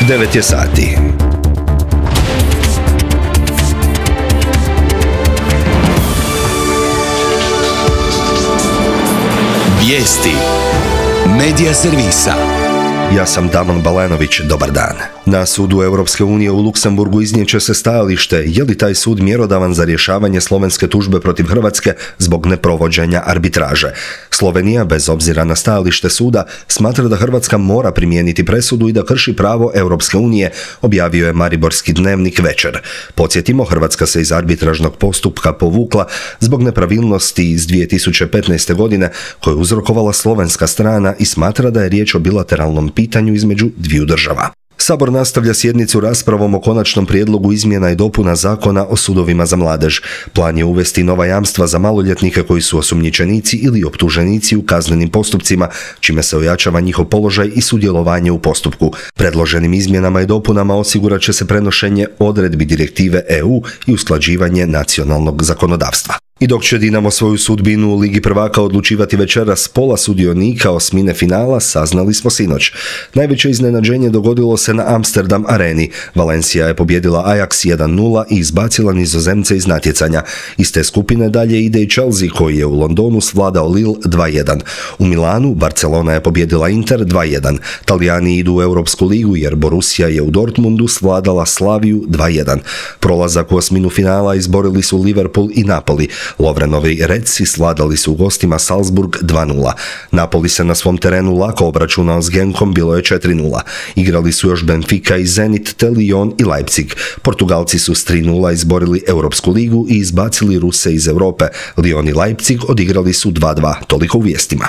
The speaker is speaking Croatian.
9 je sati. Vijesti Medija servisa. Ja sam Damon Balanović, dobar dan. Na sudu Europske unije u Luksemburgu iznijet će se stajalište je li taj sud mjerodavan za rješavanje slovenske tužbe protiv Hrvatske zbog neprovođenja arbitraže. Slovenija, bez obzira na stajalište suda, smatra da Hrvatska mora primijeniti presudu i da krši pravo Europske unije, objavio je Mariborski dnevnik Večer. Podsjetimo, Hrvatska se iz arbitražnog postupka povukla zbog nepravilnosti iz 2015. godine koje je uzrokovala slovenska strana i smatra da je riječ o bilateralnom pitanju između dviju država. Sabor nastavlja sjednicu raspravom o konačnom prijedlogu izmjena i dopuna Zakona o sudovima za mladež. Plan je uvesti nova jamstva za maloljetnike koji su osumnjičenici ili optuženici u kaznenim postupcima, čime se ojačava njihov položaj i sudjelovanje u postupku. Predloženim izmjenama i dopunama osigurat će se prenošenje odredbi direktive EU i usklađivanje nacionalnog zakonodavstva. I dok će Dinamo svoju sudbinu u Ligi prvaka odlučivati večeras, pola sudionika osmine finala saznali smo sinoć. Najveće iznenađenje dogodilo se na Amsterdam areni. Valencia je pobijedila Ajax 1-0 i izbacila Nizozemce iz natjecanja. Iz te skupine dalje ide i Chelsea koji je u Londonu svladao Lille 2-1. U Milanu Barcelona je pobijedila Inter 2-1. Talijani idu u Europsku ligu jer Borussia je u Dortmundu svladala Slaviju 2-1. Prolazak u osminu finala izborili su Liverpool i Napoli. Lovrenovi Redsi svladali su u gostima Salzburg 2-0. Napoli se na svom terenu lako obračunao s Genkom, bilo je 4-0. Igrali su još Benfica i Zenit, te Lyon i Leipzig. Portugalci su s 3-0 izborili Europsku ligu i izbacili Ruse iz Europe. Lyon i Leipzig odigrali su 2-2. Toliko u vijestima.